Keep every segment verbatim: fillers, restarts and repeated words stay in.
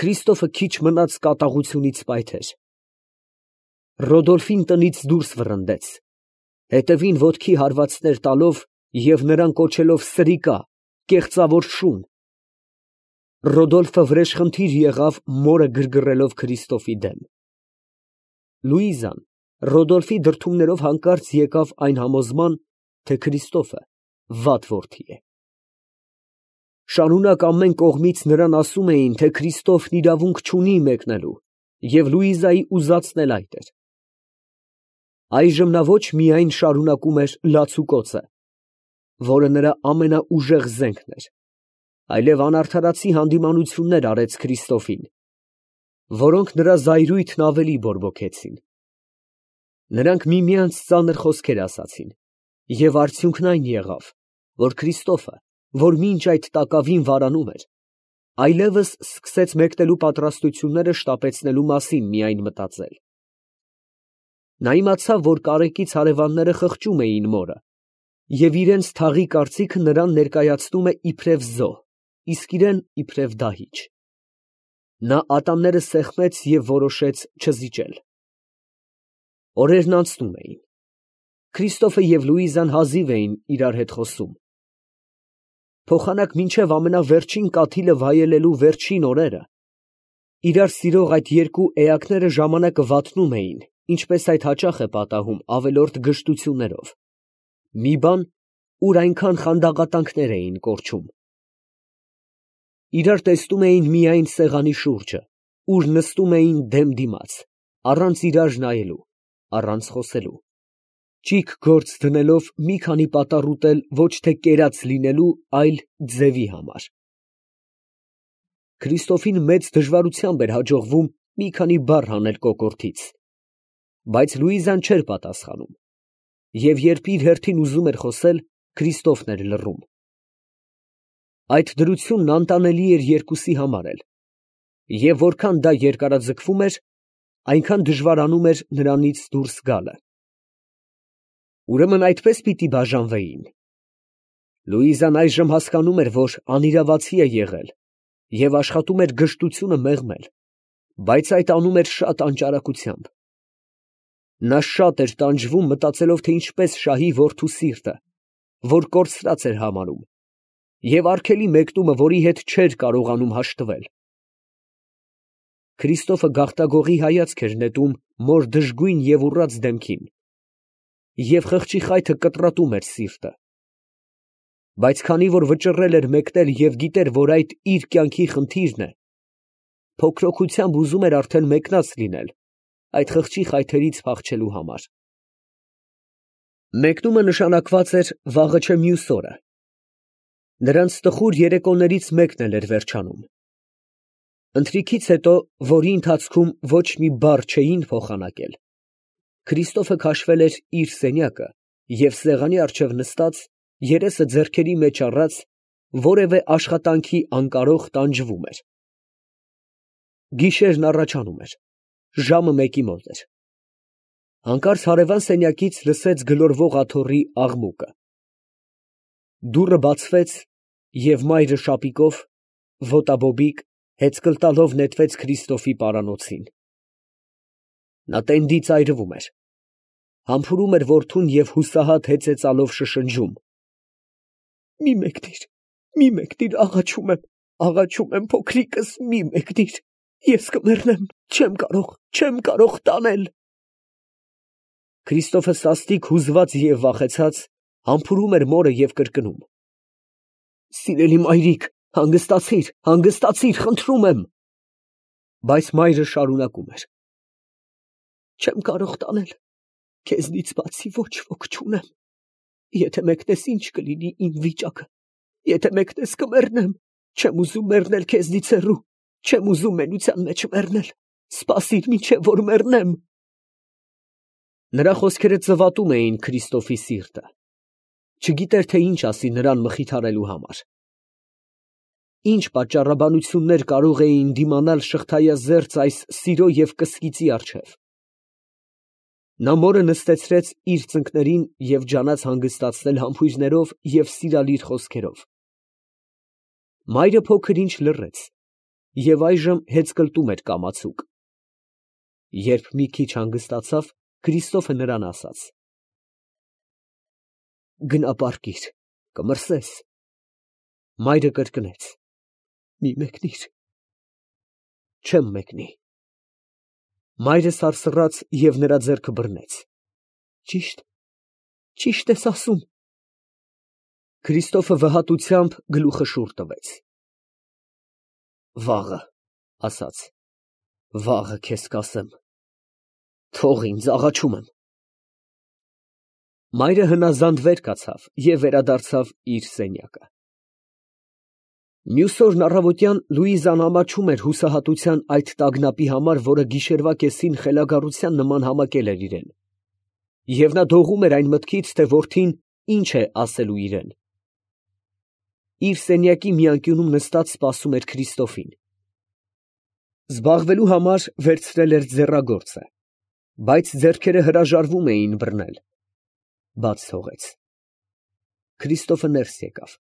Քրիստոֆը քիչ մնաց կատաղությունից պայթեր։ Ռոդոլֆին տնից դուրս վռնդեց, հետևին ոտքի հարվածներ տալով և նրան կոչելով սրիկա, կեղծավոր շուն։ Ռոդոլֆը վրեժխնդիր եղավ մորը գրգռելով Քրիստոֆի դեմ։ Լուիզան Ռոդոլֆի դրդումներով հանկարծ եկավ այն համոզման, թե Քրիստոֆը վատ որդի է։ Շարունակ ամեն կողմից նրան ասում էին, թե Քրիստոֆն իրավունք չունի մեկնելու, և Լուիզայի ուզածն էլ այդ էր։ Այժմ նա ոչ միայն շարունակում էր լացուկոծը, որը նրա ամենաուժեղ զենքն էր, այլև անարդարացի հանդիմանություններ արեց Քրիստոֆին, որոնք նրա զայրույթն ավելի բորբոքեցին։ Նրանք միմյանց ծանր խոսքեր ասացին, և արդյունքն այն եղավ, որ Քրիստոֆը, որ մինչ այդ տակավին վարանում էր, այլևս սկսեց մեկնելու պատրաստությունները շտապեցնելու մասին միայն մտածել։ Նա իմացավ, որ կարեկից հարևանները խղճում էին մորը, և իրենց թաղի կարծիքը նրան ներկայացնում է իբրև զոհ, իսկ իրեն իբրև դահիճ։ Նա ատամները սեղմեց և որոշեց չզիջել։ Օրերն անցնում էին։ Քրիստոֆը և Լուիզան հազիվ էին իրար հետ խոսում։ Փոխանակ մինչև ամենավերջին կաթիլը վայելելու վերջին օրերը, իրար սիրող այդ երկու էակները ժամանակը վատնում էին, ինչպես այդ հաճախ է պատահում ավելորդ գժտություններով, մի բան, ուր այնքան խանդաղատանքներ էին կորչում։ Իրար տեսնում էին միայն սեղանի շուրջը, ուր նստում էին դեմ դիմաց, առանց իրար նայելու, առանց խոսելու, ճիգ գործ դնելով մի քանի պատառ ուտել ոչ թե կերած լինելու, այլ ձևի համար։ Քրիստոֆին մեծ դժվարությամբ էր հաջողվում մի քանի բառ հանել կոկորդից, բայց Լուիզան չէր պատասխանում, և երբ իր հերթին ուզում էր խոսել, Քրիստոֆն էր լռում։ Այդ դրությունն անտանելի էր երկուսի համար էլ, և որքան դա երկարաձգվում էր, այնքան դժվարանում էր նրանից դուրս գալը։ Ուրեմն այդպես պիտի բաժանվեին։ Լուիզան այժմ հասկանում էր, որ անիրավացի է եղել և աշխատում էր գժտությունը մեղմել, բայց այդ անում էր շատ անճարակությամբ։ Նա շատ էր տանջվում, մտածելով, թե ինչպես շահի որդու սիրտը, որ կորցրած էր համարում, և արգելի մեկնումը, որի հետ չէր կարողանում հաշտվել։ Քրիստոֆը գաղտագողի հայացք էր նետում մոր դժգույն և ուռած դեմքին, և խղճի խայթը կտրատում էր սիրտը։ Բայց քանի որ վճռել էր մեկնել և գիտեր, որ այդ իր կյանքի խնդիրն է, փոքրոքությամբ ուզում էր արդեն մեկնած լինել, այդ խղճի խայթերից փախչելու համար։ Մեկնումը նշանակված էր վաղը չէ մյուս օրը։ Նրանց տխուր երեկոներից մեկն էլ էր վերջանում։ Ընթրիքից հետո, որի ընթացքում ոչ մի բառ չէին փոխանակել, Քրիստոֆը քաշվել էր իր սենյակը և սեղանի առջև նստած, երեսը ձեռքերի մեջ առած, որևէ աշխատանքի անկարող տանջվում էր։ Գիշերն առաջանում էր, ժամը մեկի մոտ էր։ Հանկարծ հարևան սենյակից լսեց գլորվող աթոռի աղմուկը։ Դուռը բացվեց, և մայրը շապիկով, ոտաբոբիկ, հեծկլ տալով նետվեց Քրիստոֆի պարանոցին։ Նա տենդի ծայրվում էր, համբուրում էր որդուն և հուսահատ հեծեծալով շշնջում. «Մի մեկնիր, մի մեկնիր, աղաչում եմ, աղաչում եմ, փոքրիկս, մի մեկնիր, ես կմեռնեմ, չեմ կարող, չեմ կարող տանել»։ Քրիստոֆը սաստիկ հուզված և վախեցած, համբուրում էր մորը և կրկնում. «Սիրելի մայրիկ, հանգստացի՛ր, հանգստացի՛ր, խնդրում եմ»։ Բայց մայրը շարունակում էր. «Չեմ կարող տանել, քեզնից բացի ոչ ոք չունեմ, եթե մեկնես, ինչ կլինի իմ վիճակը, եթե մեկնես, կմեռնեմ, չեմ ուզում մեռնել քեզնից հեռու, չեմ ուզում մենության մեջ մեռնել, սպասիր, մինչև որ մեռնեմ»։ Նրա խոսքերը ծվատում էին Քրիստոֆի սիրտը, չգիտեր, թե ինչ ասի նրան մխիթարելու համար։ Ինչ պատճառաբանություններ կարող էին դիմանալ շղթայազերծ այս սիրո և կսկիծի առջև։ Նա մորը նստեցրեց իր ծնկներին և ջանաց հանգստացնել համբույրներով և սիրալիր խոսքերով։ Մայրը փոքր ինչ լռեց, և այժմ հեծկլտում էր կամացուկ։ Երբ մի քիչ հանգստացավ, Քրիստոֆը նրան ասաց. «Գնա պառկիր, կմրսես»։ Մայրը կրկնեց. «Մի մեկնիր»։ «Չեմ մեկնի»։ Մայրը սարսռաց և նրա ձեռքը բռնեց։ «Ճի՞շտ, ճի՞շտ ես ասում»։ Քրիստոֆը վհատությամբ գլուխը շուռ տվեց։ «Վաղը, ասաց, վաղը քեզ կասեմ, թող ինձ, աղաչում եմ»։ Մայրը հնազանդ վեր կացավ և վերադարձավ իր սենյակը։ Մյուս օրն առավոտյան Լուիզան ամաչում էր հուսահատության այդ տագնապի համար, որը գիշերվա կեսին խելագարության նման համակել էր իրան, և նա դողում էր այն մտքից, թե որդին ինչ է ասելու իրան։ Իր սենյակի մի անկյունում նստած սպասում էր Քրիստոֆին։ Զբաղվելու համար վերցրել էր ձեռագործը, բայց ձեռքերը հրաժարվում էին բռնել։ Բաց թողեց։ Քրիստոֆը ներս եկավ։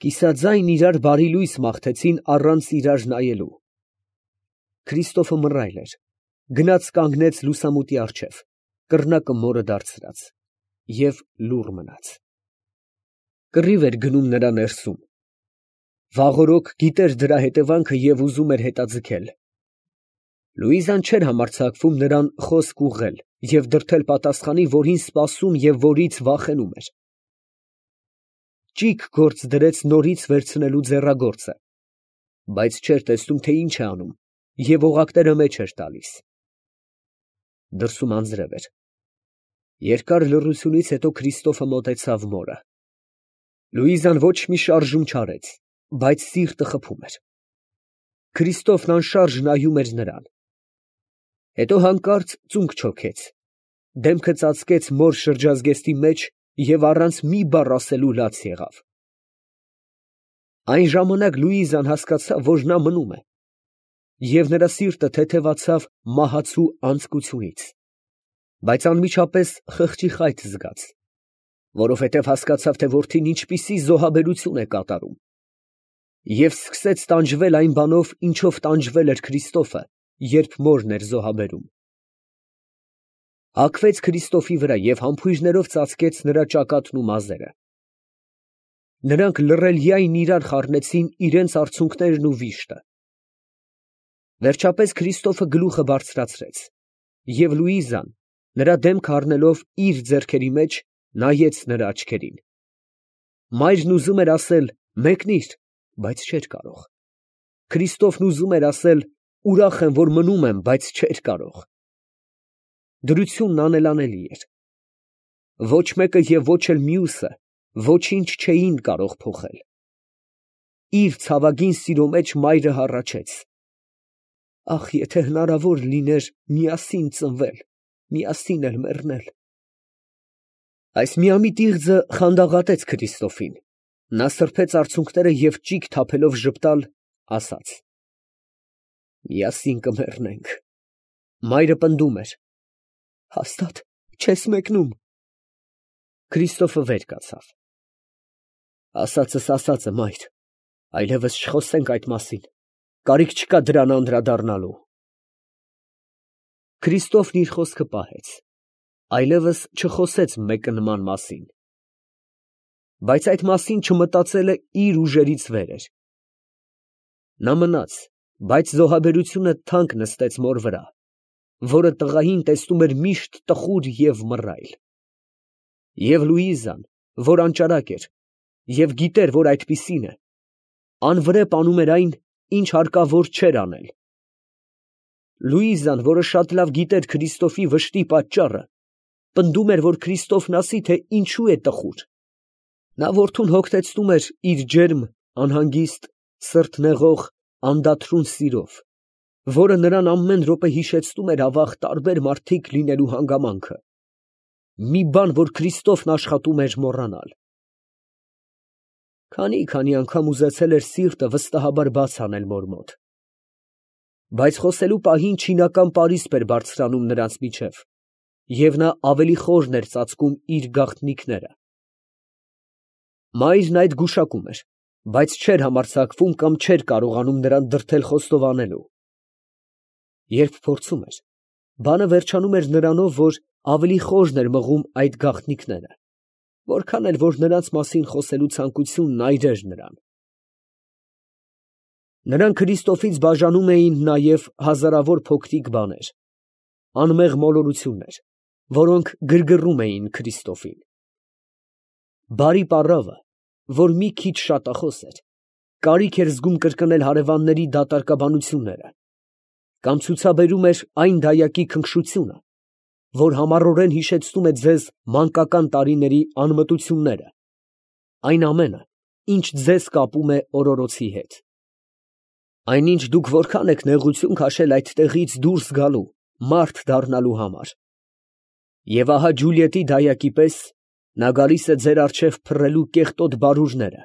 Կիսաձայն իրար բարի լույս մաղթեցին առանց իրար նայելու։ Քրիստոֆը մռայլ էր, գնաց կանգնեց լուսամուտի առջև, կռնակը մորը դարձրած, և լուռ մնաց։ Կռիվ էր գնում նրա ներսում։ Վաղօրոք գիտեր դրա հետևանքը և ուզում էր հետաձգել։ Լուիզան չէր համարձակվում նրան խոսք ուղղել և դրդել պատասխանի, որին սպասում և որից վախենում էր։ Ճիգ գործ դրեց նորից վերցնելու ձեռագործը, բայց չէր տեսնում, թե ինչ է անում, և օղակները մեջ էր տալիս։ Դրսում անձրև էր։ Երկար լռությունից հետո Քրիստոֆը մոտեցավ մորը։ Լուիզան ոչ մի շարժում չարեց, բայց սիրտը խփում էր։ Քրիստոֆն անշարժ նայում էր նրան։ Հետո հանկարծ ծունկ չոքեց, դեմքը ծածկեց մոր շրջազգեստի մեջ և առանց մի բառ ասելու լաց եղավ։ Այն ժամանակ Լուիզան հասկացավ, որ նա մնում է, և նրա սիրտը թեթևացավ մահացու անձկությունից, բայց անմիջապես խղճի խայթ զգաց, որովհետև հասկացավ, թե որդին ինչպիսի զոհաբերություն է կատարում, և սկսեց տանջվել այն բանով, ինչով տանջվել էր Քրիստոֆը, երբ մորն էր զոհաբերում։ Հագվեց Քրիստոֆի վրա և համբույրներով ծածկեց նրա ճակատն ու մազերը։ Նրանք լռելյայն իրար խառնեցին իրենց արցունքներն ու վիշտը։ Վերջապես Քրիստոֆը գլուխը բարձրացրեց, և Լուիզան, նրա դեմքը առնելով իր ձեռքերի մեջ, նայեց նրա աչքերին։ Մայրն ուզում էր ասել «մեկնիր», բայց չէր կարող։ Քրիստոֆն ուզում էր ասել «ուրախ եմ, որ մնում եմ», բայց չէր կարող։ Դրությունն անելանելի էր։ Ոչ մեկը և ոչ էլ մյուսը ոչինչ չէին կարող փոխել։ Իր ցավագին սիրո մեջ մայրը հառաչեց. «Ախ, եթե հնարավոր լիներ միասին ծնվել, միասին էլ մեռնել»։ Այս միամիտ իղձը խանդավառեց Քրիստոֆին։ Նա սրբեց արցունքները և ճիգ թափելով ժպտալ, ասաց. «Միասին կմեռնենք»։ Մայրը պնդում էր. «Հաստա՞տ չես մեկնում»։ Քրիստոֆը վեր կացավ։ «Ասածս ասած է, մայր, այլևս չխոսենք այդ մասին, կարիք չկա դրան անդրադառնալու»։ Քրիստոֆն իր խոսքը պահեց, այլևս չխոսեց մեկնման մասին։ Բայց այդ մասին չմտածելը իր ուժերից վեր էր։ Նա մնաց, բայց զոհաբերությունը թանկ նստեց մոր վրա, որը տղային տեսնում էր միշտ տխուր և մռայլ։ Եվ Լուիզան, որ անճարակ էր և գիտեր, որ այդպիսին է, անվրեպ անում էր այն, ինչ հարկավոր չէր անել։ Լուիզան, որը շատ լավ գիտեր Քրիստոֆի վշտի պատճառը, պնդում էր, որ Քրիստոֆն ասի, թե ինչու է տխուր։ Նա որդուն հոգնեցնում էր իր ջերմ, անհանգիստ, սրտնեղող, անդադրուն սիրով, որը նրան ամեն րոպե հիշեցնում էր ավաղ տարբեր մարդիկ լինելու հանգամանքը, մի բան, որ Քրիստոֆն աշխատում էր մոռանալ։ Քանի՜֊քանի անգամ ուզեցել էր սիրտը վստահաբար բաց անել մոր մոտ, բայց խոսելու պահին չինական պարիսպ էր բարձրանում նրանց միջև, և նա ավելի խորն էր ծածկում իր գաղտնիքները։ Մայրն այդ գուշակում էր, բայց չէր համարձակվում կամ չէր կարողանում նրան դրդել խոստովանելու։ Երբ փորձում էր, բանը վերջանում էր նրանով, որ ավելի խորն էր մղում այդ գաղտնիքները, որքան էլ որ նրանց մասին խոսելու ցանկությունն այրեր նրան։ Նրան Քրիստոֆից բաժանում էին նաև հազարավոր փոքրիկ բաներ, անմեղ մոլորություններ, որոնք գրգռում էին Քրիստոֆին։ Բարի պառավը, որ մի քիչ շատախոս էր, կարիք էր զգում կրկնել հարևանների դատարկաբանությունները, կամ ցուցաբերում էր այն դայակի քնքշությունը, որ համառորեն հիշեցնում է ձեզ մանկական տարիների անմտությունները, այն ամենը, ինչ ձեզ կապում է օրորոցի հետ։ Այնինչ դուք որքան եք նեղություն քաշել այդտեղից դուրս գալու, մարդ դառնալու համար։ Եվ ահա Ջուլիետի դայակի պես նա գալիս է ձեր առջև փռելու կեղտոտ բարուրները,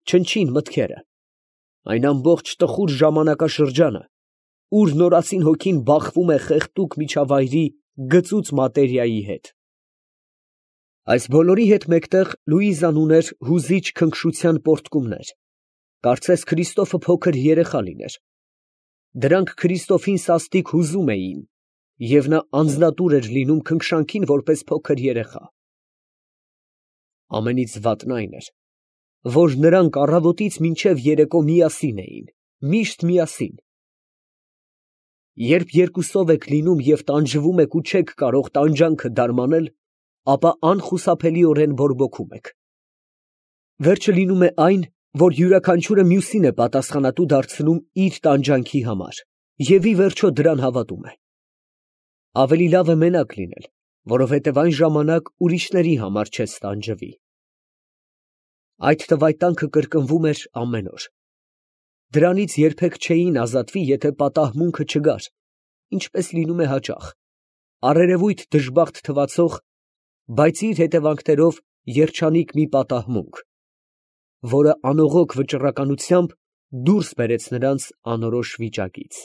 չնչին մտքերը, այն ամբողջ տխուր ժամանակաշրջանը, ուր նորածին հոգին բախվում է խեղդուկ միջավայրի գծուծ մատերիայի հետ։ Այս բոլորի հետ մեկտեղ Լուիզան ուներ հուզիչ քնքշության պոռթկումներ, կարծես Քրիստոֆը փոքր երեխա լիներ։ Դրանք Քրիստոֆին սաստիկ հուզում էին, և նա անձնատուր էր լինում քնքշանքին որպես փոքր երեխա։ Ամենից վատն այն էր, որ նրանք առավոտից մինչև երեկո միասին էին, միշտ միասին։ Երբ երկուսով եք լինում և տանջվում եք ու չեք կարող տանջանքը դարմանել, ապա անխուսափելիորեն բորբոքում եք։ Վերջը լինում է այն, որ յուրաքանչյուրը մյուսին է պատասխանատու դարձնում իր տանջանքի համար և ի վերջո դրան հավատում է։ Ավելի լավ է մենակ լինել, որովհետև այն ժամանակ ուրիշների համար չես տանջվի։ Այդ տվայտանքը կրկնվում էր ամեն օր։ Դրանից երբեք չէին ազատվի, եթե պատահմունքը չգար, ինչպես լինում է հաճախ, առերևույթ դժբախտ թվացող, բայց իր հետևանքներով երջանիկ մի պատահմունք, որը անողոք վճռականությամբ դուրս բերեց նրանց անորոշ վիճակից։